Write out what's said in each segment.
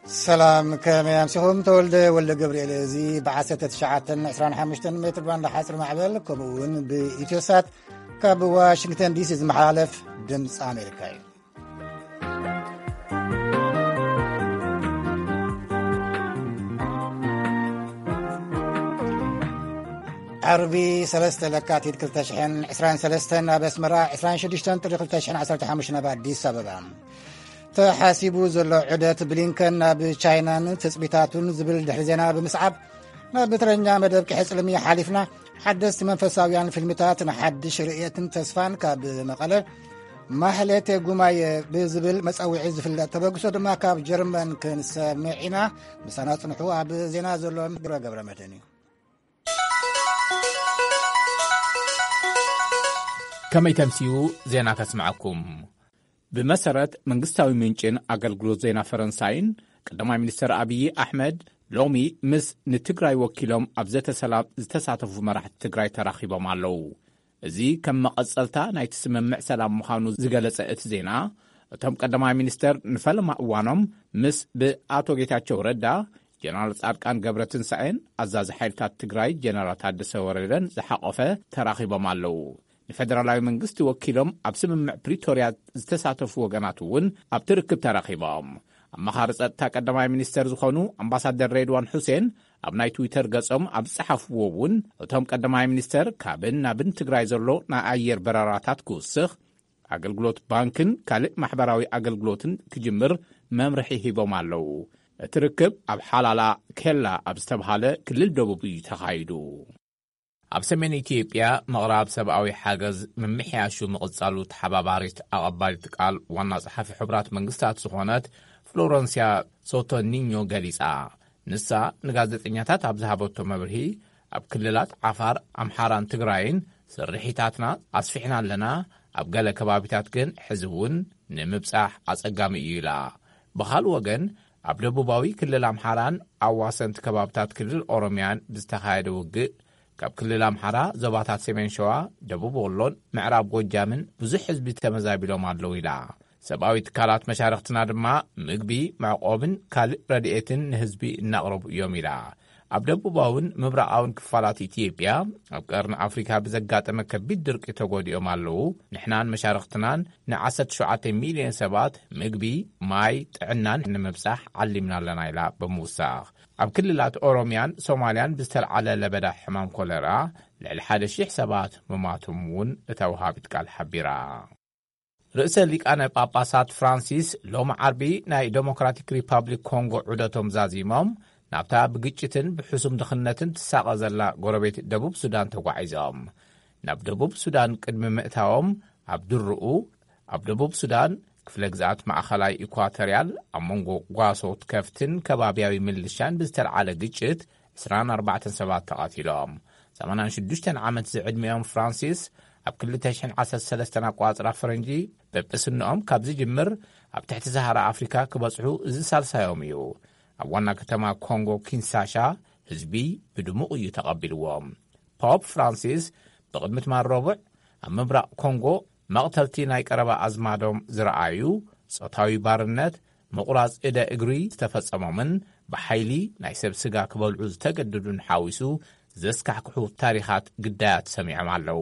ሰላም፣ ከመይ ኣምሲኹም? ተወልደ ወልደ ገብርኤል። እዚ ብ19 25 ሜትር ባንድ ሓፂር ማዕበል፣ ከምኡ እውን ብኢትዮሳት ካብ ዋሽንግተን ዲሲ ዝመሓላለፍ ድምፂ ኣሜሪካ እዩ። ዓርቢ 3 ለካቲት 2023 ኣብ ኣስመራ፣ 26 ጥሪ 2015 ኣብ ኣዲስ ኣበባ። ተሓሲቡ ዘሎ ዑደት ብሊንከን ናብ ቻይናን ትጽቢታቱን ዝብል ድሕሪ ዜና ብምስዓብ፣ ናብ ብትረኛ መደብ ቅሕጽልሚ ሓሊፍና፣ ሓደስቲ መንፈሳውያን ፊልምታት ንሓድሽ ርእየትን ተስፋን ካብ መቐለ፣ ማህሌት ጉማየ ብዝብል መጸውዒ ዝፍለጥ ተበግሶ ድማ ካብ ጀርመን ክንሰምዕ ኢና። ምሳና ጽንሑ። ኣብ ዜና ዘሎ ግብረ ገብረ መድህን እዩ። ከመይ ተምስዩ ዜና ከስምዓኩም። ብመሰረት መንግስታዊ ምንጭን ኣገልግሎት ዜና ፈረንሳይን፣ ቀዳማይ ሚኒስተር ኣብዪ ኣሕመድ ሎሚ ምስ ንትግራይ ወኪሎም ኣብ ዘተ ሰላም ዝተሳተፉ መራሕቲ ትግራይ ተራኺቦም ኣለዉ። እዚ ከም መቐጸልታ ናይቲ ስምምዕ ሰላም ምዃኑ ዝገለጸ እቲ ዜና፣ እቶም ቀዳማይ ሚኒስተር ንፈለማ እዋኖም ምስ ብኣቶ ጌታቸው ረዳ፣ ጀነራል ጻድቃን ገብረትንሳኤን ኣዛዚ ሓይልታት ትግራይ ጀነራል ታደሰ ወረደን ዝሓቖፈ ተራኺቦም ኣለዉ። ንፌደራላዊ መንግስቲ ወኪሎም ኣብ ስምምዕ ፕሪቶርያ ዝተሳተፉ ወገናት እውን ኣብቲ ርክብ ተራኺቦም። ኣመኻሪ ጸጥታ ቀዳማይ ሚኒስተር ዝኾኑ ኣምባሳደር ሬድዋን ሑሴን ኣብ ናይ ትዊተር ገጾም ኣብ ዝጸሓፍዎ እውን፣ እቶም ቀዳማይ ሚኒስተር ካብን ናብን ትግራይ ዘሎ ናይ ኣየር በረራታት ክውስኽ፣ ኣገልግሎት ባንክን ካልእ ማሕበራዊ ኣገልግሎትን ክጅምር መምርሒ ሂቦም ኣለዉ። እቲ ርክብ ኣብ ሓላላ ኬላ ኣብ ዝተብሃለ ክልል ደቡብ እዩ ተኻይዱ። ኣብ ሰሜን ኢትዮጵያ ምቕራብ ሰብኣዊ ሓገዝ ምምሕያሹ ምቕጻሉ ተሓባባሪት ኣቐባሊት ቃል ዋና ጸሓፊ ሕቡራት መንግስታት ዝኾነት ፍሎረንስያ ሶቶኒኞ ገሊጻ። ንሳ ንጋዜጠኛታት ኣብ ዝሃበቶ መብርሂ፣ ኣብ ክልላት ዓፋር፣ ኣምሓራን ትግራይን ስርሒታትና ኣስፊሕና ኣለና፣ ኣብ ገለ ከባቢታት ግን ሕዚ እውን ንምብጻሕ ኣጸጋሚ እዩ ኢላ። ብኻልእ ወገን፣ ኣብ ደቡባዊ ክልል ኣምሓራን ኣዋሰንቲ ከባብታት ክልል ኦሮምያን ብዝተኻየደ ውግእ፣ ካብ ክልል ኣምሓራ ዞባታት ሰሜን ሸዋ፣ ደቡብ ወሎን ምዕራብ ጎጃምን ብዙሕ ህዝቢ ተመዛቢሎም ኣለዉ ኢላ። ሰብኣዊ ትካላት መሻርኽትና ድማ ምግቢ፣ መዕቆብን ካልእ ረድኤትን ንህዝቢ እናቕረቡ እዮም ኢላ። ኣብ ደቡባውን ምብራቓውን ክፋላት ኢትዮጵያ፣ ኣብ ቀርኒ ኣፍሪካ ብዘጋጠመ ከቢድ ድርቂ ተጎዲኦም ኣለዉ። ንሕናን መሻርኽትናን ን17 ሚልዮን ሰባት ምግቢ፣ ማይ፣ ጥዕናን ንምብጻሕ ዓሊምና ኣለና ኢላ ብምውሳኽ፣ ኣብ ክልላት ኦሮምያን ሶማልያን ብዝተልዓለ ለበዳ ሕማም ኮለራ ልዕሊ 1,000 ሰባት ምማቶም እውን እታ ወሃቢት ቃል ሓቢራ። ርእሰ ሊቃነ ጳጳሳት ፍራንሲስ ሎሚ ዓርቢ ናይ ዴሞክራቲክ ሪፓብሊክ ኮንጎ ዑደቶም ዛዚሞም፣ ናብታ ብግጭትን ብሕሱም ድኽነትን ትሳቐ ዘላ ጎረቤት ደቡብ ሱዳን ተጓዒዞም። ናብ ደቡብ ሱዳን ቅድሚ ምእታዎም፣ ኣብ ድርኡ፣ ኣብ ደቡብ ሱዳን ክፍለ ግዝኣት ማእኸላይ ኢኳቶርያል፣ ኣብ መንጎ ጓሶት ከፍትን ከባብያዊ ምልሻን ብዝተልዓለ ግጭት 24 ሰባት ተቐቲሎም፣ 86 ዓመት ዝዕድሚኦም ፍራንሲስ፣ ኣብ 2013 ኣቋጽራ ፈረንጂ ጵጵስንኦም ካብ ዝጅምር፣ ኣብ ትሕቲ ሰሃራ ኣፍሪካ ክበጽሑ እዚ ሳልሳዮም እዩ። ኣብ ዋና ከተማ ኮንጎ ኪንሳሻ፣ ህዝቢ ብድሙቕ እዩ ተቐቢልዎም። ፖፕ ፍራንሲስ ብቕድሚ ትማል ረቡዕ ኣብ ምብራቕ ኮንጎ መቕተልቲ ናይ ቀረባ ኣዝማዶም ዝረኣዩ፣ ጾታዊ ባርነት፣ ምቑራጽ እደ እግሪ ዝተፈጸሞምን ብሓይሊ ናይ ሰብ ስጋ ክበልዑ ዝተገደዱን ሓዊሱ ዘስካሕክሑ ታሪኻት ግዳያት ሰሚዖም ኣለዉ።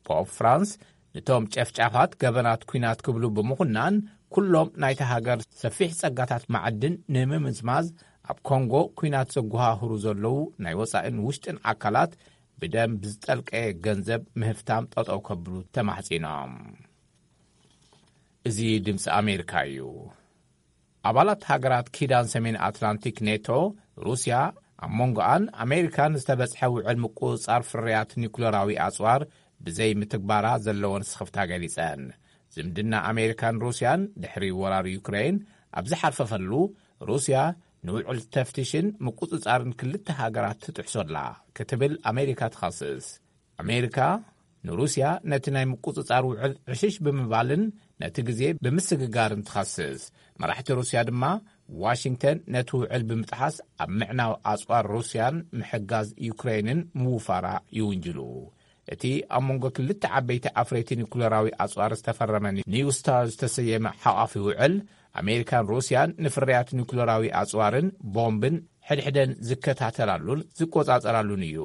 ፖፕ ፍራንስ ንቶም ጨፍጫፋት ገበናት ኲናት ክብሉ ብምኹናን፣ ኩሎም ናይታ ሃገር ሰፊሕ ጸጋታት ማዕድን ንምምዝማዝ ኣብ ኮንጎ ኲናት ዘጓሃህሩ ዘለዉ ናይ ወጻኢን ውሽጥን ኣካላት ብደም ብዝጠልቀየ ገንዘብ ምህፍታም ጠጠው ከብሉ ተማሕጺኖም። እዚ ድምፂ ኣሜሪካ እዩ። ኣባላት ሃገራት ኪዳን ሰሜን ኣትላንቲክ ኔቶ፣ ሩስያ ኣብ መንጎኣን ኣሜሪካን ዝተበጽሐ ውዕል ምቁጽጻር ፍርያት ኒኩለራዊ ኣጽዋር ብዘይ ምትግባራ ዘለወን ስኽፍታ ገሊጸን። ዝምድና ኣሜሪካን ሩስያን ድሕሪ ወራር ዩክሬን ኣብ ዝሓርፈፈሉ፣ ሩስያ ንውዕል ተፍትሽን ምቁጽጻርን ክልተ ሃገራት ትጥሕሶ ኣላ ክትብል ኣሜሪካ ትኸስስ። ኣሜሪካ ንሩስያ ነቲ ናይ ምቁጽጻር ውዕል ዕሽሽ ብምባልን ነቲ ግዜ ብምስግጋርን ትኸስስ። መራሕቲ ሩስያ ድማ፣ ዋሽንግተን ነቲ ውዕል ብምጥሓስ ኣብ ምዕናው ኣጽዋር ሩስያን ምሕጋዝ ዩክሬንን ምውፋራ ይውንጅሉ። እቲ ኣብ መንጎ ክልተ ዓበይቲ ኣፍረይቲ ኒኩለራዊ ኣጽዋር ዝተፈረመ ኒው ስታር ዝተሰየመ ሓቋፊ ውዕል፣ ኣሜሪካን ሩስያን ንፍርያት ኒኩለራዊ ኣጽዋርን ቦምብን ሕድሕደን ዝከታተላሉን ዝቆጻጸራሉን እዩ።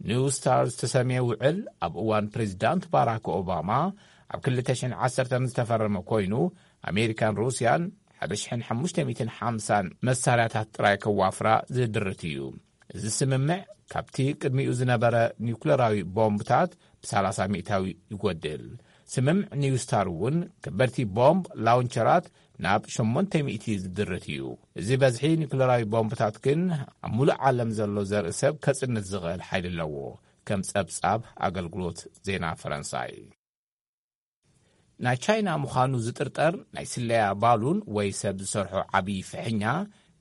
ኒው ስታር ዝተሰምየ ውዕል ኣብ እዋን ፕሬዚዳንት ባራክ ኦባማ ኣብ ክልተ ሽሕን ዓሰርተን ዝተፈረመ ኮይኑ፣ ኣሜሪካን ሩስያን ሓደ ሽሕን ሓሙሽተ ሚእትን ሓምሳን መሳርያታት ጥራይ ከዋፍራ ዝድርት እዩ። እዚ ስምምዕ ካብቲ ቅድሚኡ ዝነበረ ኒውክለራዊ ቦምብታት ብ30% ይጎድል። ስምምዕ ኒውስታር እውን ከበድቲ ቦምብ ላውንቸራት ናብ ሸሞንተ ሚእቲ ዝድርት እዩ። እዚ በዝሒ ኒውክለራዊ ቦምብታት ግን ኣብ ሙሉእ ዓለም ዘሎ ዘርኢ ሰብ ከጽንት ዝኽእል ሓይሊ ኣለዎ፣ ከም ጸብጻብ ኣገልግሎት ዜና ፈረንሳይ። ናይ ቻይና ምዃኑ ዝጥርጠር ናይ ስለያ ባሉን ወይ ሰብ ዝሰርሖ ዓብዪ ፍሕኛ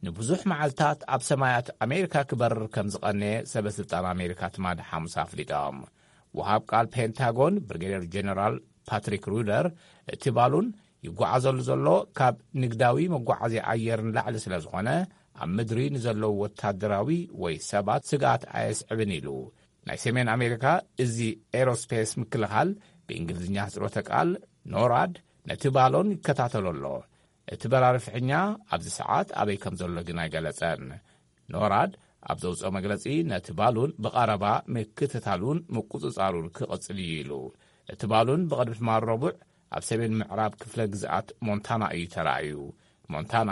ንብዙሕ መዓልታት ኣብ ሰማያት ኣሜሪካ ክበርር ከም ዝቐነየ ሰበ ስልጣን ኣሜሪካ ትማሊ ሓሙስ ኣፍሊጦም። ወሃብ ቃል ፔንታጎን ብሪጌደር ጀነራል ፓትሪክ ሩደር፣ እቲ ባሉን ይጓዓዘሉ ዘሎ ካብ ንግዳዊ መጓዓዝያ ኣየር ንላዕሊ ስለ ዝኾነ፣ ኣብ ምድሪ ንዘለዉ ወታደራዊ ወይ ሰባት ስግኣት ኣየስዕብን ኢሉ። ናይ ሰሜን ኣሜሪካ እዚ ኤሮስፔስ ምክልኻል፣ ብእንግሊዝኛ ህጽሮተ ቃል ኖራድ፣ ነቲ ባሎን ይከታተሎ ኣሎ። እቲ በራሪ ፍሕኛ ኣብዚ ሰዓት ኣበይ ከም ዘሎ ግን ኣይገለጸን። ኖራድ ኣብ ዘውጽኦ መግለጺ፣ ነቲ ባሉን ብቐረባ ምክትታሉን ምቁጽጻሩን ክቕጽል እዩ ኢሉ። እቲ ባሉን ብቕድሚ ትማል ረቡዕ ኣብ ሰሜን ምዕራብ ክፍለ ግዝኣት ሞንታና እዩ ተራእዩ። ሞንታና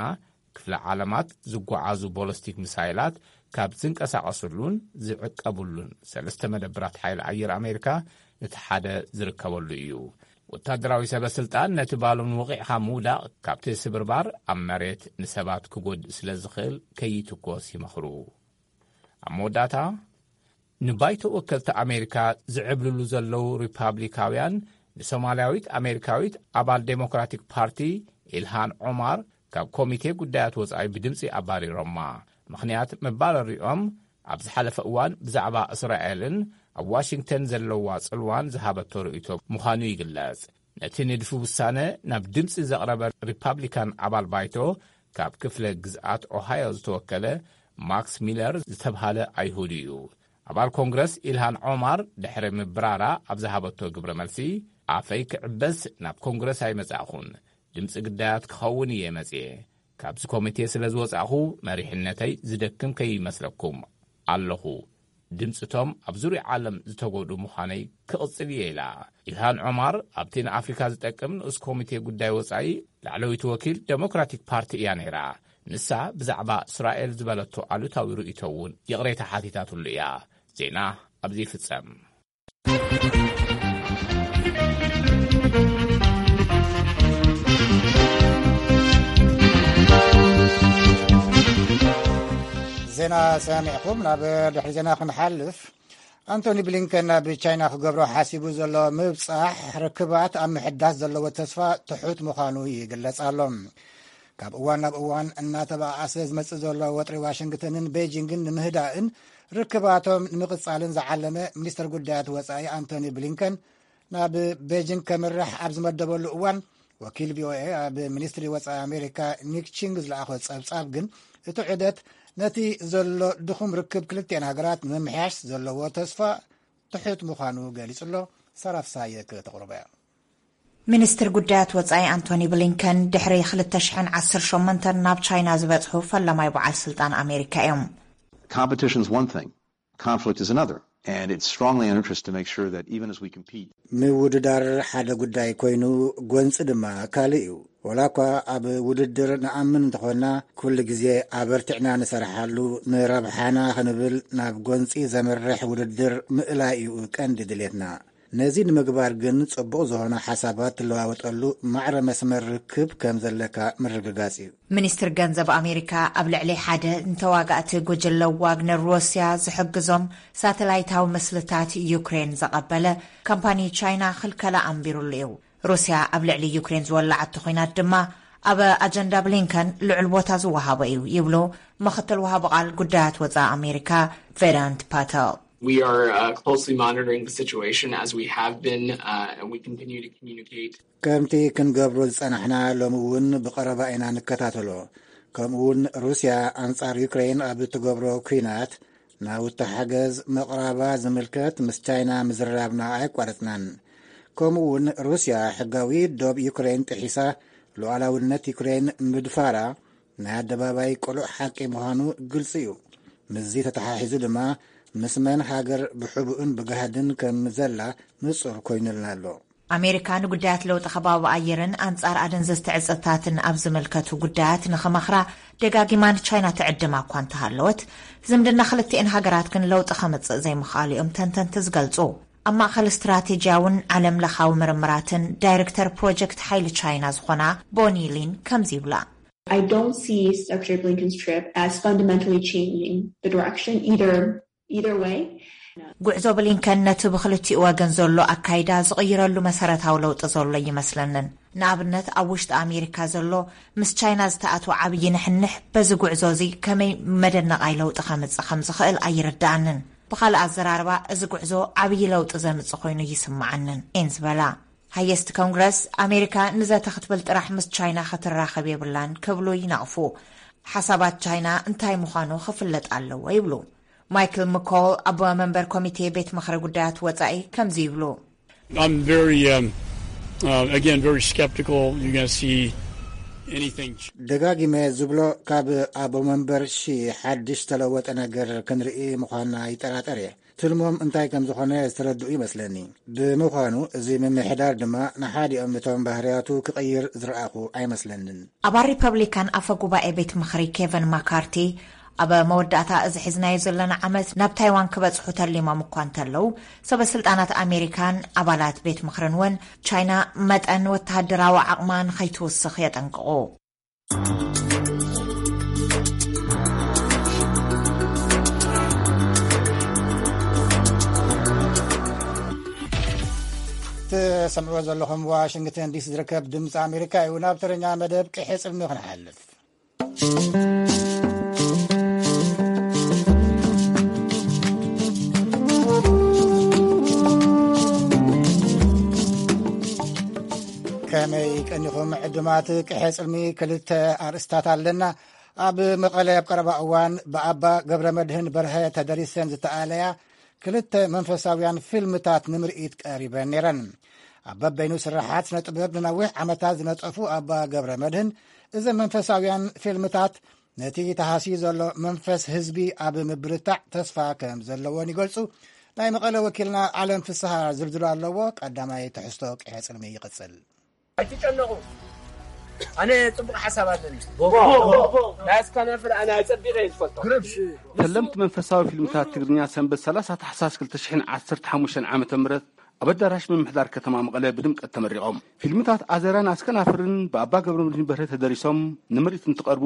ክፍለ ዓለማት ዝጓዓዙ ቦለስቲክ ሚሳይላት ካብ ዝንቀሳቐስሉን ዝዕቀብሉን ሰለስተ መደብራት ሓይሊ ኣየር ኣሜሪካ እቲ ሓደ ዝርከበሉ እዩ። ወታደራዊ ሰበ ስልጣን ነቲ ባሉን ወቒዕኻ ምውዳቕ ካብቲ ስብርባር ኣብ መሬት ንሰባት ክጎድእ ስለ ዝኽእል ከይትኮስ ይመኽሩ። ኣብ መወዳእታ፣ ንባይቶ ወከልቲ ኣሜሪካ ዝዕብልሉ ዘለዉ ሪፓብሊካውያን ንሶማልያዊት ኣሜሪካዊት ኣባል ዴሞክራቲክ ፓርቲ ኢልሃን ዖማር ካብ ኮሚቴ ጉዳያት ወጻኢ ብድምጺ ኣባሪሮማ። ምኽንያት መባረሪኦም ኣብ ዝሓለፈ እዋን ብዛዕባ እስራኤልን ኣብ ዋሽንግተን ዘለዋ ጽልዋን ዝሃበቶ ርእይቶ ምዃኑ ይግለጽ። ነቲ ንድፊ ውሳነ ናብ ድምጺ ዘቕረበ ሪፓብሊካን ኣባል ባይቶ ካብ ክፍለ ግዝኣት ኦሃዮ ዝተወከለ ማክስ ሚለር ዝተብሃለ ኣይሁድ እዩ። ኣባል ኮንግረስ ኢልሃን ዖማር ድሕሪ ምብራራ ኣብ ዝሃበቶ ግብረ መልሲ፣ ኣፈይ ክዕበስ ናብ ኮንግረስ ኣይመጻእኹን፣ ድምጺ ግዳያት ክኸውን እየ መጽየ። ካብዚ ኮሚቴ ስለ ዝወጻእኹ መሪሕነተይ ዝደክም ከይመስለኩም ኣለኹ። ድምጽቶም ኣብ ዙርያ ዓለም ዝተጎድኡ ምዃነይ ክቕጽል እየ ኢላ። ኢልሃን ዖማር ኣብቲ ንኣፍሪካ ዝጠቅም ንኡስ ኮሚቴ ጉዳይ ወጻኢ ላዕለዊት ወኪል ዴሞክራቲክ ፓርቲ እያ ነይራ። ንሳ ብዛዕባ እስራኤል ዝበለቶ ኣሉታዊ ርእይቶ እውን ይቕሬታ ሓቲታትሉ እያ። ዜና ኣብዚ ይፍጸም። ዜና ሰሚዕኩም ናብ ድሕሪ ዜና ክንሓልፍ፣ ኣንቶኒ ብሊንከን ናብ ቻይና ክገብሮ ሓሲቡ ዘሎ ምብጻሕ ርክባት ኣብ ምሕዳስ ዘለዎ ተስፋ ትሑት ምዃኑ ይግለጽ ኣሎ። ካብ እዋን ናብ እዋን እናተባኣሰ ዝመጽእ ዘሎ ወጥሪ ዋሽንግተንን ቤጂንግን ንምህዳእን ርክባቶም ንምቕጻልን ዝዓለመ ሚኒስትር ጉዳያት ወጻኢ ኣንቶኒ ብሊንከን ናብ ቤጂንግ ከምርሕ ኣብ ዝመደበሉ እዋን፣ ወኪል ቪኦኤ ኣብ ሚኒስትሪ ወጻኢ ኣሜሪካ ኒክ ቺንግ ዝለኣኾ ጸብጻብ ግን፣ እቲ ዑደት ነቲ ዘሎ ድኹም ርክብ ክልቲአን ሃገራት ንምምሕያሽ ዘለዎ ተስፋ ትሑት ምዃኑ ገሊጹ ኣሎ። ሰራፍሳየ ከተቕርቦ እያ። ሚኒስትር ጉዳያት ወጻኢ ኣንቶኒ ብሊንከን ድሕሪ ክልተ ሽሕን ዓሰርተ ሸሞንተን ናብ ቻይና ዝበጽሑ ፈላማይ በዓል ስልጣን ኣሜሪካ እዮም። Competition's one thing, conflict is another. And it's strongly in our interest to make sure that even as we compete, ምውድዳር ሓደ ጉዳይ ኮይኑ፣ ጎንፂ ድማ ካልእ እዩ። ወላ እኳ ኣብ ውድድር ንኣምን እንተኾንና፣ ኩሉ ግዜ ኣበርቲዕና ንሰርሓሉ፣ ንረብሓና ክንብል ናብ ጎንፂ ዘምርሕ ውድድር ምእላይ እዩ ቀንዲ ድሌትና። ነዚ ንምግባር ግን ጽቡቕ ዝኾነ ሓሳባት ትለዋወጠሉ ማዕረ መስመር ርክብ ከም ዘለካ ምርግጋጽ እዩ። ሚኒስትር ገንዘብ ኣሜሪካ ኣብ ልዕሊ ሓደ ንተዋጋእቲ ጉጅለ ዋግነር ሩስያ ዝሕግዞም ሳተላይታዊ ምስልታት ዩክሬን ዘቐበለ ካምፓኒ ቻይና ክልከላ ኣንቢሩሉ እዩ። ሩስያ ኣብ ልዕሊ ዩክሬን ዝወላዓቶ ኲናት ድማ ኣብ ኣጀንዳ ብሊንከን ልዑል ቦታ ዝወሃቦ እዩ ይብሉ ምኽትል ወሃቢ ቃል ጉዳያት ወጻኢ ኣሜሪካ ቬዳንት ፓተል። We are uh, closely monitoring the situation as we have been, uh, and we continue to communicate. ከምቲ ክንገብሮ ዝጸናሕና ሎሚ እውን ብቐረባ ኢና ንከታተሎ። ከምኡ እውን ሩስያ ኣንጻር ዩክሬን ኣብ እትገብሮ ኲናት ናውቲ ሓገዝ ምቕራባ ዝምልከት ምስ ቻይና ምዝራብና ኣየቋረጽናን። ከምኡ እውን ሩስያ ሕጋዊ ዶብ ዩክሬን ጥሒሳ ሉዓላውነት ዩክሬን ምድፋራ ናይ ኣደባባይ ቅሉዕ ሓቂ ምዃኑ ግልጺ እዩ። ምስዚ ተተሓሒዙ ድማ ምስ መን ሃገር ብሕቡእን ብጋህድን ከም ዘላ ንጹር ኮይኑልና ኣሎ። ኣሜሪካ ንጉዳያት ለውጢ ከባቢ ኣየርን ኣንጻር ኣደንዘዝቲ ዕጽታትን ኣብ ዝምልከቱ ጉዳያት ንኽመኽራ ደጋጊማ ንቻይና ትዕድማ እኳ እንተሃለወት፣ ዝምድና ክልቲኤን ሃገራት ግን ለውጢ ከምጽእ ዘይምኽኣሉ እዮም ተንተንቲ ዝገልጹ። ኣብ ማእኸል ስትራቴጂያውን ዓለም ለኻዊ ምርምራትን ዳይሬክተር ፕሮጀክት ሓይሊ ቻይና ዝኾና ቦኒ ሊን ከምዚ ይብላ። I don't see Secretary Blinken's trip as fundamentally changing the direction either either way. ጉዕዞ ብሊንከን ነቲ ብኽልቲኡ ወገን ዘሎ ኣካይዳ ዝቕይረሉ መሰረታዊ ለውጢ ዘሎ ይመስለንን። ንኣብነት ኣብ ውሽጢ ኣሜሪካ ዘሎ ምስ ቻይና ዝተኣትወ ዓብዪ ንሕንሕ በዚ ጉዕዞ እዚ ከመይ መደነቓይ ለውጢ ከምጽእ ከም ዝኽእል ኣይርድኣንን። ብኻልእ ኣዘራርባ እዚ ጉዕዞ ዓብዪ ለውጢ ዘምጽእ ኮይኑ ይስምዓንን እየን ዝበላ። ሃየስት ኮንግረስ ኣሜሪካ ንዘተ ክትብል ጥራሕ ምስ ቻይና ክትራኸብ የብላን ክብሉ ይነቕፉ። ሓሳባት ቻይና እንታይ ምዃኑ ክፍለጥ ኣለዎ ይብሉ። ማይክል ምኮል ኣቦ መንበር ኮሚቴ ቤት ምኽሪ ጉዳያት ወጻኢ ከምዚ ይብሉ። I'm very, um, uh, again, very skeptical you're going to see anything. ደጋጊመ ዝብሎ ካብ ኣቦ መንበር ሺ ሓድሽ ተለወጠ ነገር ክንርኢ ምዃንና ይጠራጠር እየ። ትልሞም እንታይ ከም ዝኾነ ዝተረድኡ ይመስለኒ። ብምዃኑ እዚ ምምሕዳር ድማ ንሓዲኦም እቶም ባህርያቱ ክቕይር ዝረኣኹ ኣይመስለንን። ኣባል ሪፐብሊካን ኣፈ ጉባኤ ቤት ምኽሪ ኬቨን ማካርቲ ኣብ መወዳእታ እዚ ሒዝናዮ ዘለና ዓመት ናብ ታይዋን ክበጽሑ ተሊሞም እኳ እንተለዉ፣ ሰበ ስልጣናት ኣሜሪካን ኣባላት ቤት ምኽርን እውን ቻይና መጠን ወተሃደራዊ ዓቕማ ንኸይትውስኽ የጠንቅቑ። ትሰምዕዎ ዘለኹም ዋሽንግተን ዲሲ ዝርከብ ድምፂ ኣሜሪካ እዩ። ናብ ተረኛ መደብ ቅሐ ጽልሚ ክንሓልፍ። ከመይ ቀኒኹም ዕዱማት ቅሐ ጽልሚ? ክልተ ኣርእስታት ኣለና። ኣብ መቐለ ኣብ ቀረባ እዋን ብኣባ ገብረ መድህን በርሀ ተደሪሰን ዝተኣለያ ክልተ መንፈሳውያን ፊልምታት ንምርኢት ቀሪበን ነይረን። ኣብ በበይኑ ስራሓት ስነ ጥበብ ንነዊሕ ዓመታት ዝነጠፉ ኣባ ገብረ መድህን፣ እዘን መንፈሳውያን ፊልምታት ነቲ ተሃስዩ ዘሎ መንፈስ ህዝቢ ኣብ ምብርታዕ ተስፋ ከም ዘለዎን ይገልጹ። ናይ መቐለ ወኪልና ዓለም ፍስሃ ዝርዝሩ ኣለዎ። ቀዳማይ ትሕዝቶ ቅሐ ጽልሚ ይቕጽል። ኣይትጨነቑ። ኣነ ጽቡቕ ሓሳብ ኣለኒ። ናይ እስካናፍር ኣነ ኣጸቢቐ እየ ዝፈልጦ። ፈለምቲ መንፈሳዊ ፊልምታት ትግርኛ ሰንበት ሰላሳ ታሕሳስ ክልተ ሽሕን ዓሰርተ ሓሙሽተን ዓመተ ምህረት ኣብ ኣዳራሽ ምምሕዳር ከተማ መቐለ ብድምቀት ተመሪቖም። ፊልምታት ኣዘራን ኣስከናፍርን ብኣባ ገብረመድህን በርሀ ተደሪሶም ንምርኢት እንትቐርቡ፣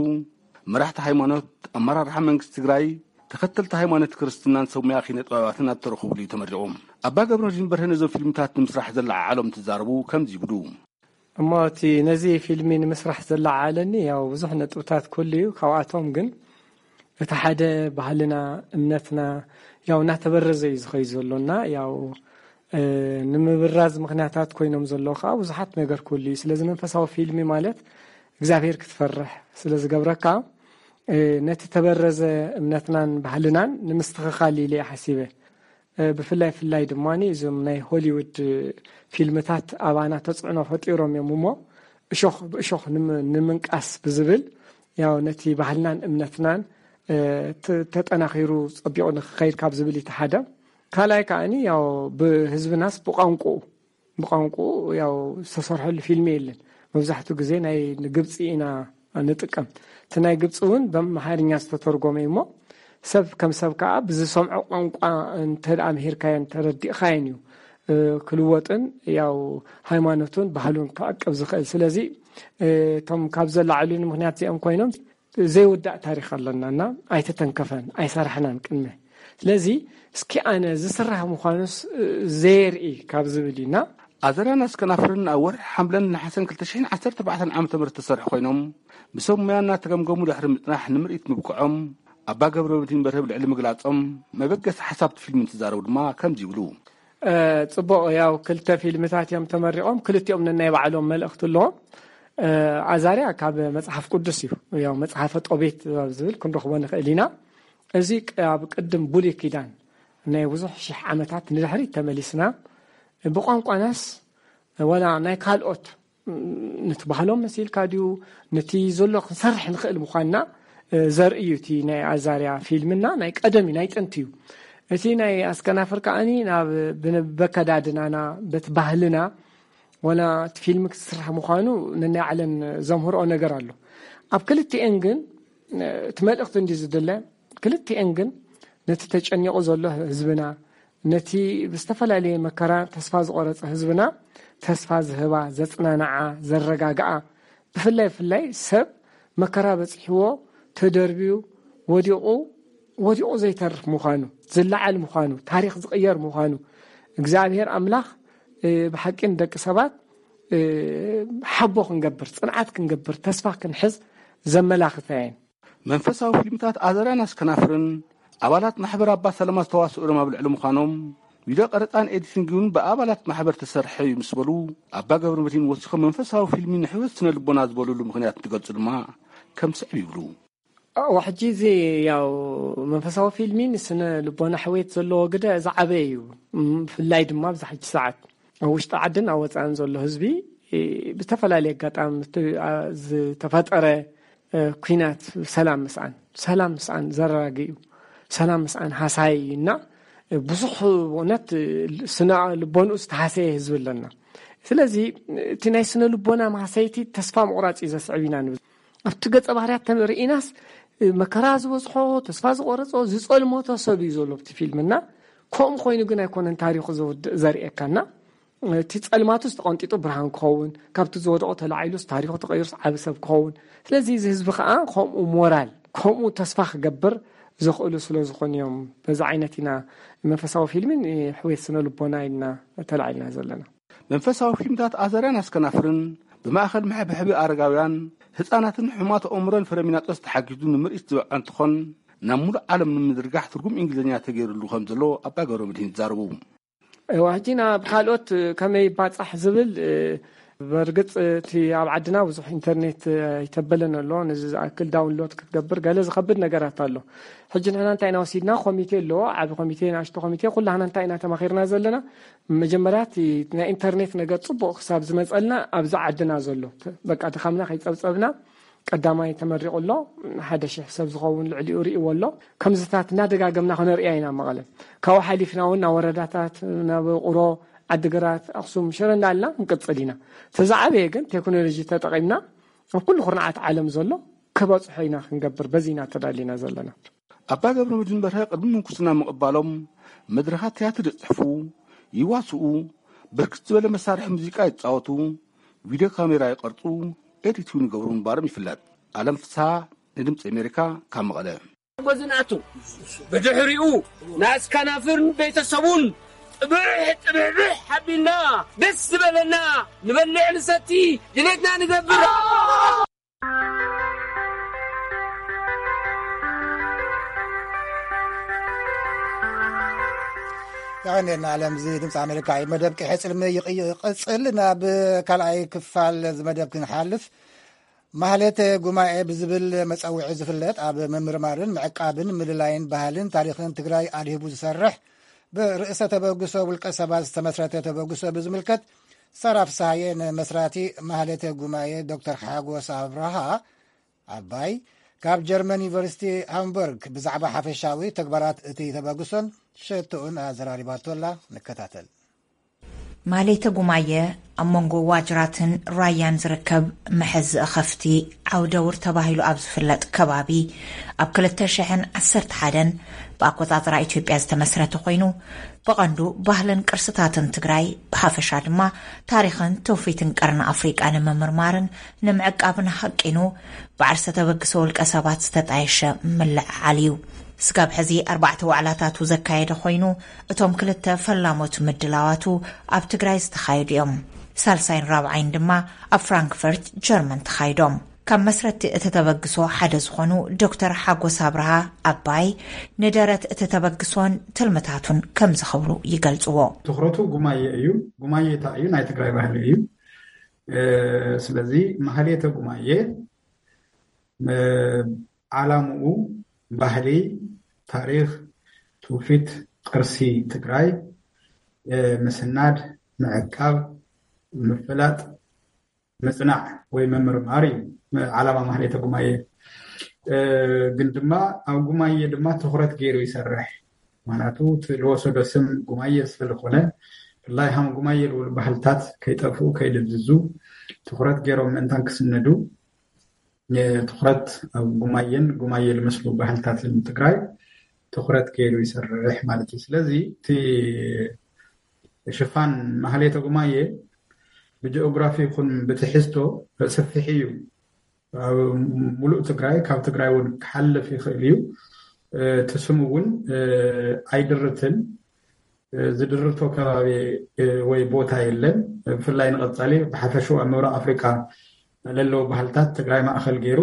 መራሕቲ ሃይማኖት፣ ኣመራርሓ መንግስቲ ትግራይ፣ ተኸተልቲ ሃይማኖት ክርስትናን ሰብ ሙያ ኪነ ጥበባትን ኣብ ተረኽቡሉ እዩ ተመሪቑ። ኣባ ገብረመድህን በርሀ ነዞም ፊልምታት ንምስራሕ ዘለዓዓሎም እንትዛረቡ ከምዚ ይብሉ። እሞ እቲ ነዚ ፊልሚ ንምስራሕ ዘለዓዓለኒ ያው ብዙሕ ነጥብታት ክህሉ እዩ። ካብኣቶም ግን እቲ ሓደ ባህልና፣ እምነትና ያው እናተበረዘ እዩ ዝኸይድ ዘሎና። ያው፣ እ፣ ንምብራዝ ምኽንያታት ኮይኖም ዘለዉ ከዓ ብዙሓት ነገር ክህሉ እዩ። ስለዚ መንፈሳዊ ፊልሚ ማለት እግዚኣብሔር ክትፈርሕ ስለ ዝገብረካ፣ እ፣ ነቲ ተበረዘ እምነትናን ባህልናን ንምስትኽኻል ኢለ እየ ሓሲበ። እ፣ ብፍላይ ፍላይ ድማ እዞም ናይ ሆሊውድ ፊልምታት ኣባና ተጽዕኖ ፈጢሮም እዮም እሞ፣ እሾኽ ብእሾኽ ንም-፣ ንምንቃስ ብዝብል፣ ያው ነቲ ባህልናን እምነትናን፣ እ፣ ተ-፣ ተጠናኺሩ ጸቢቑ ንክኸይድ ካብ ዝብል እቲ ሓደ። ካልኣይ ከኣኒ ያው ብህዝብናስ ብቋንቋኡ፣ ብቋንቋኡ ያው ዝተሰርሐሉ ፊልሚ የለን። መብዛሕትኡ ግዜ ናይ ግብጺ ኢና ንጥቀም። እቲ ናይ ግብጺ እውን ብኣምሓርኛ ዝተተርጎመ እዩ እሞ፣ ሰብ ከም ሰብ ከኣ ብዝሰምዖ ቋንቋ እንተ ደኣ ምሂርካዮን ተረዲእካዮን እዩ፣ እ፣ ክልወጥን ያው ሃይማኖቱን ባህሉን ክዕቅብ ዝኽእል። ስለዚ፣ እ፣ እቶም ካብ ዘለዓዕሉኒ ምኽንያት እዚኦም ኮይኖም ዘይውዳእ ታሪኽ ኣለና እና ኣይተተንከፈን፣ ኣይሰራሕናን ቅድመ። ስለዚ እስኪ ኣነ ዝስራሕ ምዃኑስ፣ እ፣ ዘየርኢ ካብ ዝብል እዩ እና ኣዘራን ኣስከናፍርን ኣብ ወርሒ ሓምለን ነሓሰን ክልተ ሽሕን ዓሰርተ ኣርባዕተን ዓመተ ምህረት ዝተሰርሑ ኮይኖም፣ ብሰብ ሙያ እናተገምገሙ ድሕሪ ምጽናሕ ንምርኢት ምብቅዖም፣ ኣባ ገብረመድህን በርሀ ኣብ ልዕሊ ምግላጾም፣ መበገሲ ሓሳብ እቲ ፊልም እንትዛረቡ ድማ ከምዚ ይብሉ። እ፣ ጽቡቕ፣ ያው ክልተ ፊልምታት እዮም ተመሪቖም፣ ክልቲኦም ነናይ ባዕሎም መልእኽቲ ኣለዎም። እ፣ ኣዛርያ ካብ መጽሓፍ ቅዱስ እዩ፣ ያው መጽሓፈ ጦቤት ኣብ ዝብል ክንረኽቦ ንኽእል ኢና። እዚ ቅ-፣ ኣብ ቅድም ብሉይ ኪዳን ናይ ብዙሕ ሽሕ ዓመታት ንድሕሪት ተመሊስና፣ ብቋንቋናስ ወላ ናይ ካልኦት ነቲ ባህሎም መሲልካ ድዩ፣ ነቲ ዘሎ ክንሰርሕ ንኽእል ምዃንና ዘርኢ እዩ። እቲ ናይ ኣዛርያ ፊልምና ናይ ቀደም እዩ፣ ናይ ጥንቲ እዩ። እቲ ናይ ኣስከናፍር ከዓኒ ናብ ብበከዳድናና በቲ ባህልና ወላ እቲ ፊልም ክትስራሕ ምዃኑ ነናይ ዓለም ዘምህርኦ ነገር ኣሎ። ኣብ ክልቲኤን ግን እቲ መልእኽቲ እንዲ ዝድለ፣ ክልቲኤን ግን ነቲ ተጨኒቑ ዘሎ ህዝብና፣ ነቲ ብዝተፈላለየ መከራ ተስፋ ዝቆረጸ ህዝብና ተስፋ ዝህባ፣ ዘጽናንዓ፣ ዘረጋግኣ፣ ብፍላይ ብፍላይ ሰብ መከራ በጺሕዎ ተደርብዩ ወዲቑ ወዲቑ ዘይተርፍ ምዃኑ፣ ዝለዓል ምዃኑ፣ ታሪኽ ዝቕየር ምዃኑ እግዚኣብሔር ኣምላኽ ብሓቂ ንደቂ ሰባት ሓቦ ክንገብር፣ ጽንዓት ክንገብር፣ ተስፋ ክንሕዝ ዘመላኽታ እየን። መንፈሳዊ ፊልምታት ኣዘራን ኣስከናፍርን ኣባላት ማሕበር ኣባ ሰለማ ዝተዋስኡ ኣብ ልዕሊ ምዃኖም ቪድዮ ቀረፃን ኤዲቲንግን ብኣባላት ማሕበር ተሰርሐ እዩ ምስ በሉ ኣባ ገብረ መድህን ወሲኾም መንፈሳዊ ፊልሚ ንሕይወት ስነ ልቦና ዝበሉሉ ምኽንያት እንትገልፁ ድማ ከም ስዕብ ይብሉ። ሕጂ እዚ ያው መንፈሳዊ ፊልሚ ንስነ ልቦና ሕውየት ዘለዎ ግደ ዝዓበየ እዩ። ብፍላይ ድማ ኣብዚ ሕጂ ሰዓት ኣብ ውሽጢ ዓድን ኣብ ወፃእን ዘሎ ህዝቢ ብዝተፈላለየ ኣጋጣሚ ዝተፈጠረ ኲናት ሰላም ምስኣን ሰላም ምስኣን ዘረጋግእ እዩ። ሰላም ምስኣን ሃሳይ እዩ እና ብዙሕ ብእውነት ስነ ልቦንኡ ዝተሃሰየ ህዝቢ ኣለና። ስለዚ እቲ ናይ ስነ ልቦና ማህሰይቲ ተስፋ ምቑራፅ እዩ ዘስዕብ ኢና ንብል። ኣብቲ ገፀ ባህርያት ርኢናስ መከራ ዝበዝሖ፣ ተስፋ ዝቆረፆ፣ ዝፀልመቶ ሰብ እዩ ዘሎ ኣብቲ ፊልም እና ከምኡ ኮይኑ ግን ኣይኮነን ታሪኹ ዘውድእ ዘርእየካና። እቲ ፀልማቱስ ተቐንጢጡ ብርሃን ክኸውን፣ ካብቲ ዝወደቖ ተላዒሉስ ታሪኹ ተቐይሩስ ዓቢ ሰብ ክኸውን። ስለዚ እዚ ህዝቢ ከዓ ከምኡ ሞራል ከምኡ ተስፋ ክገብር ዘኽእሉ ስለ ዝኾኑ እዮም። በዚ ዓይነት ኢና መንፈሳዊ ፊልምን ሕውየት ስነ ልቦና ኢልና ተላዒልና ዘለና። መንፈሳዊ ፊልምታት ኣዘርያን ኣስከናፍርን ብማእኸል መሕብሐቢ ኣረጋውያን፣ ህፃናትን ሕሙማት ኣእምሮን ፍረሚናጦስ ተሓጊዙ ንምርኢት ዝበቕዐ እንትኾን ናብ ሙሉእ ዓለም ንምዝርጋሕ ትርጉም እንግሊዝኛ ተገይሩሉ ከም ዘሎ ኣባ ገብረ መድህን ይዛረቡ። እዋ ሕጂ ናብ ካልኦት ከመይ ይባፃሕ ዝብል በርግፅ እቲ ኣብ ዓድና ብዙሕ ኢንተርኔት ኣይተበለን ኣሎ። ነዚ ዝኣክል ዳውንሎድ ክትገብር ገለ ዝኸብድ ነገራት ኣሎ። ሕጂ ንሕና እንታይ ኢና ወሲድና? ኮሚቴ ኣለዎ፣ ዓቢ ኮሚቴ፣ ንኣሽቱ ኮሚቴ፣ ኩላህና እንታይ ኢና ተማኺርና ዘለና? መጀመርያ እቲ ናይ ኢንተርኔት ነገር ፅቡቕ ክሳብ ዝመፀልና ኣብዚ ዓድና ዘሎ በቃ ድኻምና ከይፀብፀብና ቀዳማይ ተመሪቑ ኣሎ። ሓደ ሽሕ ሰብ ዝኸውን ልዕሊኡ ርእይዎ ኣሎ። ከምዚታት እናደጋገምና ክነርእያ ኢና መቐለ። ካብኡ ሓሊፍና እውን ናብ ወረዳታት፣ ናብ ቁሮ፣ ዓዲግራት፣ ኣኽሱም፣ ሽረ እንዳልና ክንቅፅል ኢና። እቲ ዝዓበየ ግን ቴክኖሎጂ ተጠቒምና ኣብ ኩሉ ኩርናዓት ዓለም ዘሎ ክበፅሖ ኢና ክንገብር በዚ ኢና ተዳሊና ዘለና። ኣባ ገብረ መድህን በርሀ ቅድሚ ምንኩስና ምቕባሎም መድረኻት ትያትር ይፅሕፉ፣ ይዋስኡ፣ ብርክት ዝበለ መሳርሒ ሙዚቃ ይፃወቱ፣ ቪድዮ ካሜራ ይቐርፁ፣ ኤዲት እውን ይገብሩ ምንባሮም ይፍለጥ። ኣለም ፍስሃ ንድምፂ ኣሜሪካ ካብ መቐለ። ጎዝናቱ ብድሕሪኡ ንኣስከናፍርን ቤተሰቡን ጥብሕ ጥብሕብሕ ሓቢልና ደስ ዝበለና ንበልዕ ንሰቲ ድሌትና ንገብር። የቐንየልና ኣለም። እዚ ድምፂ ኣሜሪካ እዩ። መደብ ቅሒ ፅልሚ ይቕጽል። ናብ ካልኣይ ክፋል እዚ መደብ ክንሓልፍ፣ ማህሌተ ጉማኤ ብዝብል መጸውዒ ዝፍለጥ፣ ኣብ ምምርማርን ምዕቃብን ምልላይን ባህልን ታሪኽን ትግራይ ኣድሂቡ ዝሰርሕ፣ ብርእሰ ተበግሶ ውልቀ ሰባት ዝተመስረተ ተበግሶ ብዝምልከት፣ ሳራ ፍስሃየ ንመስራቲ ማህሌተ ጉማኤ ዶክተር ሓጎስ ኣብርሃ ኣባይ ካብ ጀርመን ዩኒቨርሲቲ ሃምቡርግ ብዛዕባ ሓፈሻዊ ተግባራት እቲ ተበግሶን ሸቶኡን ኣዘራሪባቶ ኣላ። ንከታተል። ማሌተ ጉማየ ኣብ መንጎ ዋጅራትን ራያን ዝርከብ መሐዝኢ ከፍቲ ዓውደውር ተባሂሉ ኣብ ዝፍለጥ ከባቢ ኣብ ክልተ ሽሕን ዓሰርተ ሓደን ብኣቆጻጽራ ኢትዮጵያ ዝተመስረተ ኮይኑ፣ ብቐንዱ ባህልን ቅርስታትን ትግራይ፣ ብሓፈሻ ድማ ታሪኽን ትውፊትን ቀርኒ ኣፍሪቃ ንምምርማርን ንምዕቃብን ሃቂኑ ብዓርሰ ተበግሶ ውልቀ ሰባት ዝተጣየሸ ምልዕዓል እዩ። ስጋብ ሕዚ ኣርባዕተ ዋዕላታቱ ዘካየደ ኮይኑ፣ እቶም ክልተ ፈላሞት ምድላዋቱ ኣብ ትግራይ ዝተኻየዱ እዮም። ሳልሳይን ራብዓይን ድማ ኣብ ፍራንክፈርት ጀርመን ተኻይዶም። ካብ መስረትቲ እቲ ተበግሶ ሓደ ዝኾኑ ዶክተር ሓጎስ ኣብርሃ ኣባይ፣ ንደረት እቲ ተበግሶን ትልምታቱን ከምዚ ክብሉ ይገልጽዎ። ትኹረቱ ጉማየ እዩ። ጉማየ እንታይ እዩ? ናይ ትግራይ ባህሊ እዩ። እ፣ ስለዚ ማህሌተ ጉማየ፣ እ፣ ዓላምኡ ባህሊ፣ ታሪኽ፣ ትውፊት፣ ቅርሲ ትግራይ፣ እ፣ ምስናድ፣ ምዕቃብ፣ ምፍላጥ፣ ምጽናዕ ወይ ምምርማር እዩ ዓላማ ማህሌተ ጉማየ። ግን ድማ ኣብ ጉማየ ድማ ትኹረት ገይሩ ይሰርሕ። ምክንያቱ እቲ ዝወሰዶ ስም ጉማየ ስለዝኾነ፣ ብፍላይ ሃም ጉማየ ዝብሉ ባህልታት ከይጠፍኡ ከይድብዝዙ ትኹረት ገይሮም ምእንታን ክስነዱ፣ ትኹረት ኣብ ጉማየን ጉማየ ዝመስሉ ባህልታትን ትግራይ ትኹረት ገይሩ ይሰርሕ ማለት እዩ። ስለዚ እቲ ሽፋን ማህሌተ ጉማየ ብጂኦግራፊ ይኹን ብትሕዝቶ ሰፊሕ እዩ። ኣብ ሙሉእ ትግራይ፣ ካብ ትግራይ እውን ክሓልፍ ይኽእል እዩ። እቲ ስም እውን ኣይድርትን፣ ዝድርቶ ከባቢ ወይ ቦታ የለን። ብፍላይ ንቐፃሊ ብሓፈሽኡ ኣብ ምብራቕ ኣፍሪቃ ለለዉ ባህልታት ትግራይ ማእኸል ገይሩ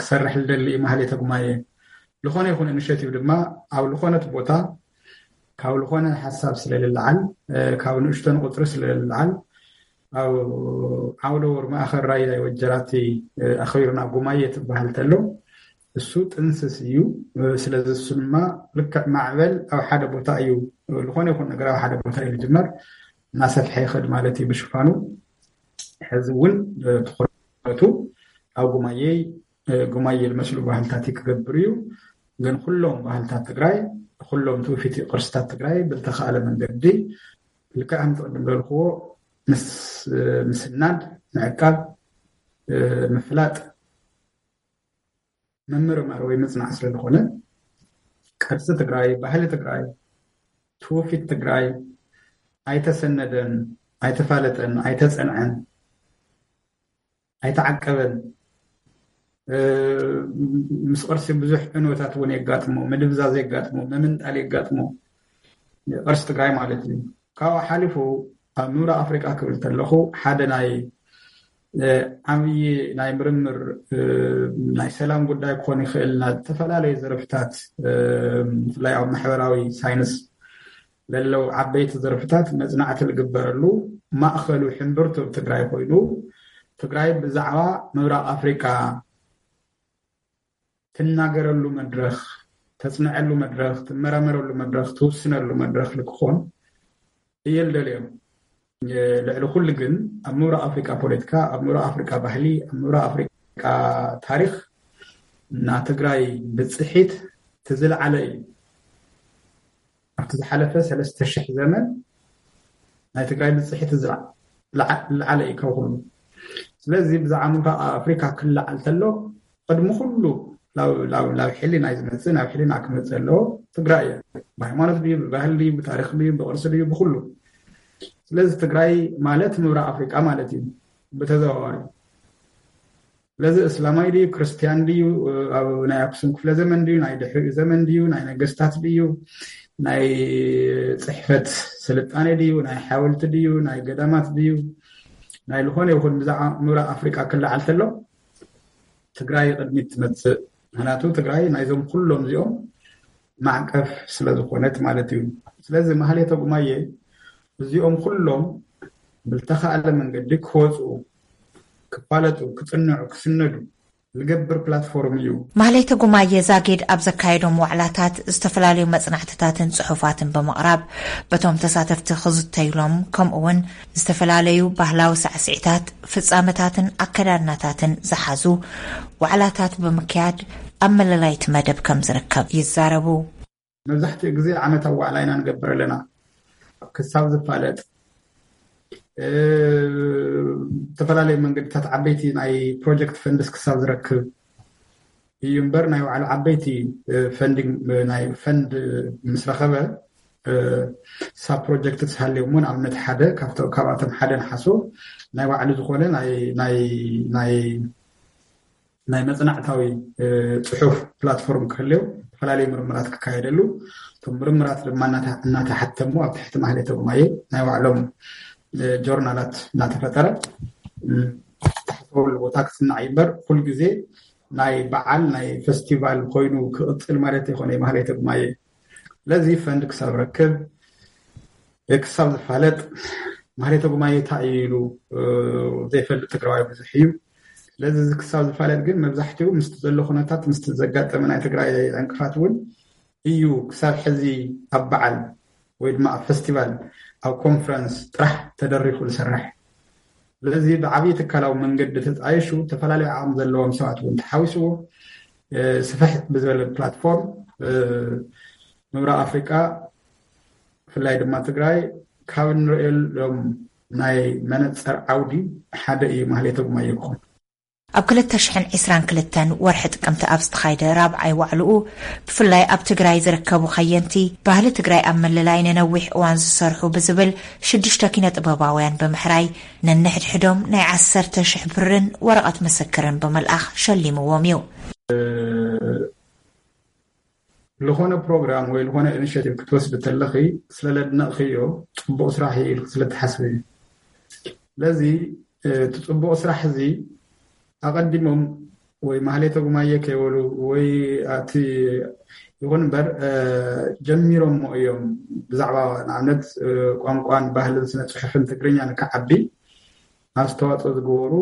ክሰርሕ ዝደሊ እዩ ማህሌተ ጉማየ። ዝኾነ ይኹን ኢኒሼቲቭ ድማ ኣብ ዝኾነት ቦታ ካብ ዝኾነ ሓሳብ ስለልልዓል፣ ካብ ንእሽቶን ቁፅሪ ስለልልዓል፣ ኣብ ዓውደ ወር ማእኸል ራያ ወጀራቲ ኣኽቢርና ጉማየ ትበሃል ተሎ እሱ ጥንስስ እዩ። ስለዚ እሱ ድማ ልክዕ ማዕበል ኣብ ሓደ ቦታ እዩ፣ ዝኾነ ይኹን ነገር ኣብ ሓደ ቦታ እዩ ዝጅመር፣ እናሰፍሐ ይኸድ ማለት እዩ ብሽፋኑ። ሕዚ እውን ትኹረቱ ኣብ ጉማየይ፣ ጉማየ ዝመስሉ ባህልታት ክገብር እዩ። ግን ኩሎም ባህልታት ትግራይ፣ ኩሎም ትውፊት ቅርስታት ትግራይ ብልተኻእለ መንገዲ ልክዕ ከምቲ ቅድም ዘልክዎ ምስ ምስናድ፣ ምዕቃብ፣ ምፍላጥ፣ ምምርማር ወይ ምጽናዕ ስለዝኾነ ቅርሲ ትግራይ፣ ባህሊ ትግራይ፣ ትውፊት ትግራይ ኣይተሰነደን፣ ኣይተፋለጠን፣ ኣይተጸንዐን፣ ኣይተዓቀበን። ምስ ቅርሲ ብዙሕ ዕንወታት እውን የጋጥሞ፣ ምድብዛዝ የጋጥሞ፣ ምምንጣል የጋጥሞ፣ ቅርሲ ትግራይ ማለት እዩ። ካብኡ ሓሊፉ ኣብ ምብራቕ ኣፍሪቃ ክብል ተለኹ ሓደ ናይ ዓብዪ ናይ ምርምር ናይ ሰላም ጉዳይ ክኾን ይኽእል፣ ናብ ዝተፈላለዩ ዘርፍታት ብፍላይ ኣብ ማሕበራዊ ሳይንስ ለለው ዓበይቲ ዘርፍታት መጽናዕቲ ዝግበረሉ ማእኸሉ ሕምብርቱ ኣብ ትግራይ ኮይኑ ትግራይ ብዛዕባ ምብራቕ ኣፍሪቃ ትናገረሉ መድረኽ፣ ተጽንዐሉ መድረኽ፣ ትመራመረሉ መድረኽ፣ ትውስነሉ መድረኽ ልክኾን እየ ልደልዮም። ልዕሊ ኩሉ ግን ኣብ ምብራቕ ኣፍሪቃ ፖለቲካ፣ ኣብ ምብራቕ ኣፍሪቃ ባህሊ፣ ኣብ ምብራቕ ኣፍሪቃ ታሪኽ እና ትግራይ ብፅሒት እቲ ዝለዓለ እዩ። ኣብቲ ዝሓለፈ ሰለስተ ሽሕ ዘመን ናይ ትግራይ ብፅሒት ዝለዓለ እዩ ካብ ኩሉ። ስለዚ ብዛዕባ ምብራቕ ኣፍሪካ ክለዓል ተሎ ቅድሚ ኩሉ ናብ ሕሊና እዩ ዝመፅእ፣ ናብ ሕሊና ክመፅእ ኣለዎ። ትግራይ እየ። ብሃይማኖት ድዩ፣ ብባህሊ ድዩ፣ ብታሪክ ድዩ፣ ብቅርሲ ድዩ፣ ብኩሉ። ስለዚ ትግራይ ማለት ምብራቕ ኣፍሪቃ ማለት እዩ ብተዘዋዋሪ። ስለዚ እስላማይ ድዩ፣ ክርስትያን ድዩ፣ ኣብ ናይ ኣክሱም ክፍለ ዘመን ድዩ፣ ናይ ድሕሪኡ ዘመን ድዩ፣ ናይ ነገስታት ድዩ፣ ናይ ፅሕፈት ስልጣኔ ድዩ፣ ናይ ሓወልቲ ድዩ፣ ናይ ገዳማት ድዩ፣ ናይ ዝኾነ ይኹን ብዛዕባ ምብራቕ ኣፍሪቃ ክለዓል ተሎ ትግራይ ቅድሚት ትመፅእ። ምክንያቱ ትግራይ ናይዞም ኩሎም እዚኦም ማዕቀፍ ስለዝኾነት ማለት እዩ። ስለዚ ማህሌተ ጉማየ እዚኦም ኩሎም ብልተኻእለ መንገዲ ክወፁ፣ ክፋለጡ፣ ክፅንዑ፣ ክስነዱ ዝገብር ፕላትፎርም እዩ። ማህሌተ ጉማየ ዛጊድ ኣብ ዘካየዶም ዋዕላታት ዝተፈላለዩ መጽናዕትታትን ጽሑፋትን ብምቕራብ በቶም ተሳተፍቲ ክዝተይሎም ከምኡ እውን ዝተፈላለዩ ባህላዊ ሳዕስዒታት፣ ፍጻመታትን ኣከዳድናታትን ዝሓዙ ዋዕላታት ብምክያድ ኣብ መለላይቲ መደብ ከም ዝርከብ ይዛረቡ። መብዛሕትኡ ግዜ ዓመታዊ ዋዕላ ኢና ንገብር ኣለና። ክሳብ ዝፋለጥ፣ እ፣ ዝተፈላለዩ መንገድታት ዓበይቲ ናይ ፕሮጀክት ፈንድስ ክሳብ ዝረክብ እዩ እምበር ናይ ባዕሉ ዓበይቲ፣ እ፣ ፈንዲንግ፣ እ፣ ናይ ፈንድ ምስ ረኸበ፣ እ፣ ሳብ ፕሮጀክት ዝሃልዮም እውን ኣብነት ሓደ ካብቶ-፣ ካብኣቶም ሓደ ንሓሶ ናይ ባዕሉ ዝኾነ ናይ፣ ናይ፣ ናይ ናይ መጽናዕታዊ፣ እ፣ ጽሑፍ ፕላትፎርም ክህልዮ፣ ዝተፈላለዩ ምርምራት ክካየደሉ፣ እቶም ምርምራት ድማ እናተ-፣ እናተሓተሙ ኣብ ትሕቲ ማህሌተ ጉማየ ናይ ባዕሎም፣ እ፣ ጆርናላት እናተፈጠረ፣ እ፣ ዝተሓሰበሉ ቦታ ክጽናዕ እዩ እምበር፣ ኩል ግዜ ናይ በዓል ናይ ፈስቲቫል ኮይኑ ክቕጽል ማለት ኣይኮነ ማህሌተ ጉማየ። ስለዚ ፈንድ ክሳብ ረክብ፣ ክሳብ ዝፋለጥ ማህሌተ ጉማየ እንታይ እዩ ኢሉ፣ እ፣ ዘይፈልጥ ትግራዋይ ብዙሕ እዩ። ስለዚ እዚ ክሳብ ዝፋለጥ ግን መብዛሕትኡ ምስቲ ዘሎ ኩነታት፣ ምስቲ ዘጋጠመ ናይ ትግራይ ዕንቅፋት እውን እዩ ክሳብ ሕዚ ኣብ በዓል ወይ ድማ ኣብ ፈስቲቫል፣ ኣብ ኮንፈረንስ ጥራሕ ተደሪኹ ዝሰርሕ። ስለዚ ብዓብዪ ትካላዊ መንገዲ ተጣይሹ፣ ዝተፈላለዩ ዓቕሚ ዘለዎም ሰባት እውን ተሓዊስዎ፣ ስፍሕ ብዝበለ ፕላትፎርም ምብራቕ ኣፍሪቃ፣ ብፍላይ ድማ ትግራይ፣ ካብ እንርእየሎም ናይ መነፀር ዓውዲ ሓደ እዩ ማህሌተ ጉማየ ክኾን። ኣብ ክልተ ሽሕን ዕስራን ክልተን ወርሒ ጥቅምቲ ኣብ ዝተኻይደ ራብዓይ ዋዕልኡ፣ ብፍላይ ኣብ ትግራይ ዝርከቡ ኸየንቲ፣ ባህሊ ትግራይ ኣብ ምልላይ ንነዊሕ እዋን ዝሰርሑ ብዝብል ሽዱሽተ ኪነ ጥበባውያን ብምሕራይ፣ ነንሕድሕዶም ናይ ዓሰርተ ሽሕ ብርን ወረቐት ምስክርን ብምልኣኽ ሸሊምዎም እዩ። ዝኾነ ፕሮግራም ወይ ዝኾነ ኢኒሽቲቭ ክትወስድ ተለኺ፣ ስለ ለድነቕኽዮ፣ ጽቡቕ ስራሕ እዩ ኢልክ ስለ ትሓስቢ እዩ። ስለዚ እቲ ጽቡቕ ስራሕ እዚ ኣቐዲሞም ወይ ማህሌተ ጉማየ ከይበሉ ወይ ኣቲ ይኹን እምበር ጀሚሮሞ እዮም። ብዛዕባ ንኣብነት ቋንቋን ባህልን ስነ ጽሑፍን ትግርኛ ንክዓቢ ኣስተዋፅኦ ዝገበሩ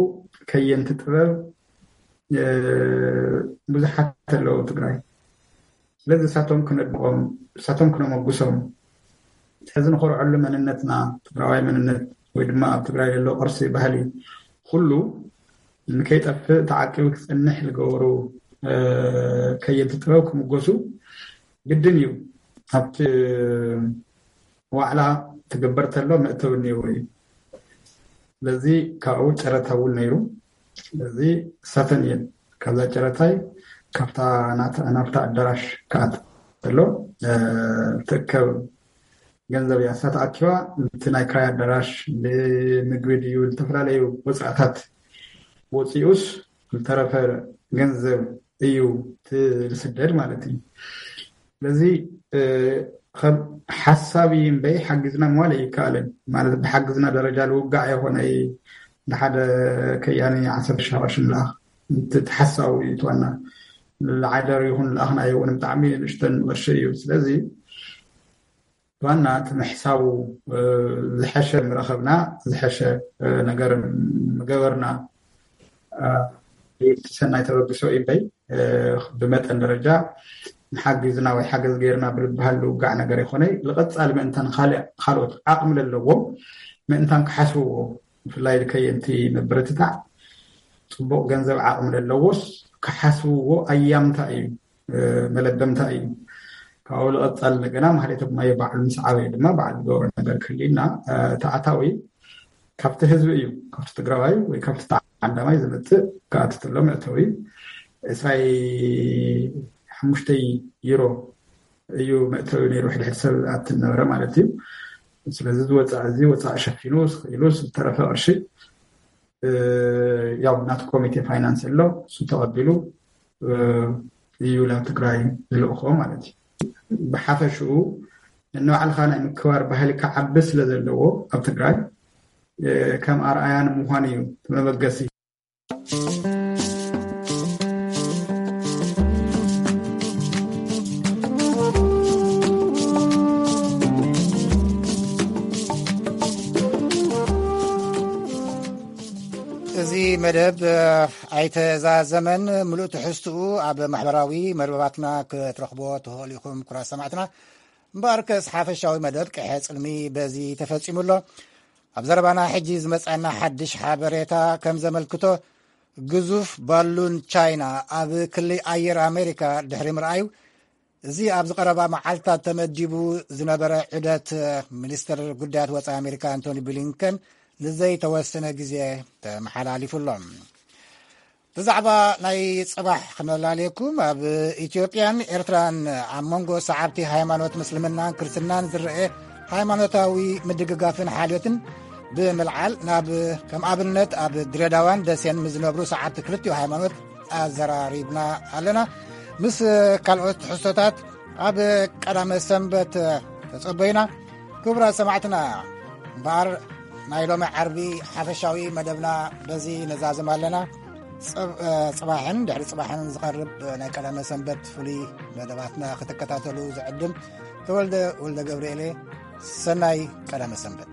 ከየንቲ ጥበብ ብዙሓት ኣለዉ ትግራይ። ስለዚ እሳቶም ክነድቆም፣ እሳቶም ክነመጉሶም፣ ሕዚ ንኮርዐሉ መንነትና፣ ትግራዋይ መንነት ወይ ድማ ኣብ ትግራይ ዘሎ ቅርሲ ባህሊ ኩሉ ንከይጠፍእ ተዓቂቡ ክፀንሕ ዝገበሩ ከየንቲ ጥበብ ክምጎሱ ግድን እዩ። ኣብቲ ዋዕላ ትግበር ተሎ መእተዊ እኒአዎ እዩ። ስለዚ ካብኡ ጨረታ እውን ነይሩ። ስለዚ እሳተን እየን ካብዛ ጨረታይ ካብታ ናብታ ኣዳራሽ ክኣት ተሎ ትእከብ ገንዘብ እያ። እሳ ተኣኪባ እቲ ናይ ክራይ ኣዳራሽ፣ ንምግቢ ድዩ፣ ዝተፈላለዩ ወፃእታት ወፂኡስ ዝተረፈ ገንዘብ እዩ ዝስደድ ማለት እዩ። ስለዚ ከም ሓሳብ እምበይ ሓጊዝና ምባል ኣይከኣልን። ማለት ብሓግዝና ደረጃ ልውጋዕ የኾነ ንሓደ ከያኒ ዓሰርተ ሺሕ ቅርሺ ንልኣኽ። እቲ ሓሳቡ እዩ እቲ ዋና። ልዓደር ይኹን ልኣኽናዮ እውን ብጣዕሚ ንእሽተን ቅርሺ እዩ። ስለዚ ዋና እቲ ምሕሳቡ ዝሐሸ ምረኸብና ዝሐሸ ነገር ምገበርና እቲ ሰናይ ተበግሶ እምበይ ብመጠን ደረጃ ንሓጊዝና ወይ ሓገዝ ገይርና ብልበሃል ዝውጋዕ ነገር ይኾነ ልቐፃሊ ምእንታን ካልእ ካልኦት ዓቕሚ ለለዎም ምእንታን ክሓስብዎ ብፍላይ ከየንቲ ምብርትታዕ ፅቡቕ ገንዘብ ዓቕሚ ለለዎስ ክሓስብዎ ኣያምታ እዩ መለበምታ እዩ። ካብኡ ልቐፃል እንደገና ማህሌተ ጉማየ ባዕሉ ምስ ዓበየ ድማ ባዕሉ ዝገብሮ ነገር ክህልዩና ተኣታዊ ካብቲ ህዝቢ እዩ ካብቲ ትግራዋይ ወይ ካብቲ ተዓዳማይ ዝመፅእ ክኣትትሎ መእተዊ ዕስራይ ሓሙሽተይ ዩሮ እዩ መእተዊ ነይሩ ሕድሕድ ሰብ ኣት ነበረ ማለት እዩ። ስለዚ ዝወፃእ እዚ ወፃእ ሸፊኑ ስኽኢሉ ዝተረፈ ቅርሺ ያው ናቲ ኮሚቴ ፋይናንስ ኣሎ እሱ ተቐቢሉ እዩ ናብ ትግራይ ዝልእኮ ማለት እዩ። ብሓፈሽኡ ንባዕልካ ናይ ምክባር ባህሊ ክዓቢ ስለ ዘለዎ ኣብ ትግራይ ከም ኣርኣያ ንምዃን እዩ መበገሲ። እዚ መደብ ኣይተዛዘመን። ምሉእ ትሕዝትኡ ኣብ ማሕበራዊ መርበባትና ክትረኽቦ ትኽእሉ ኢኹም። ኩራት ሰማዕትና እምበኣርከስ ሓፈሻዊ መደብ ቅሐ ጽልሚ በዚ ተፈጺሙ ኣሎ። ኣብ ዘረባና ሕጂ ዝመጻና ሓድሽ ሓበሬታ ከም ዘመልክቶ ግዙፍ ባሉን ቻይና ኣብ ክሊ ኣየር ኣሜሪካ ድሕሪ ምርኣዩ እዚ ኣብዚ ቀረባ መዓልታት ተመዲቡ ዝነበረ ዑደት ሚኒስትር ጉዳያት ወፃኢ ኣሜሪካ ኣንቶኒ ብሊንከን ንዘይተወሰነ ግዜ ተመሓላሊፉ ኣሎ። ብዛዕባ ናይ ፅባሕ ክነላልየኩም ኣብ ኢትዮጵያን ኤርትራን ኣብ መንጎ ሰዓብቲ ሃይማኖት ምስልምናን ክርስትናን ዝረአ ሃይማኖታዊ ምድግጋፍን ሓልዮትን ብምልዓል ናብ ከም ኣብነት ኣብ ድሬዳዋን ደሴን ምስ ዝነብሩ ሰዓብቲ ክልቲኡ ሃይማኖት ኣዘራሪብና ኣለና። ምስ ካልኦት ትሕዝቶታት ኣብ ቀዳመ ሰንበት ተጸበዩና። ክቡራት ሰማዕትና እምበኣር ናይ ሎሚ ዓርቢ ሓፈሻዊ መደብና በዚ ነዛዝም ኣለና። ጽባሕን ድሕሪ ጽባሕን ዝቐርብ ናይ ቀዳመ ሰንበት ፍሉይ መደባትና ክትከታተሉ ዝዕድም ተወልደ ወልደ ገብርኤል። ሰናይ ቀዳመ ሰንበት።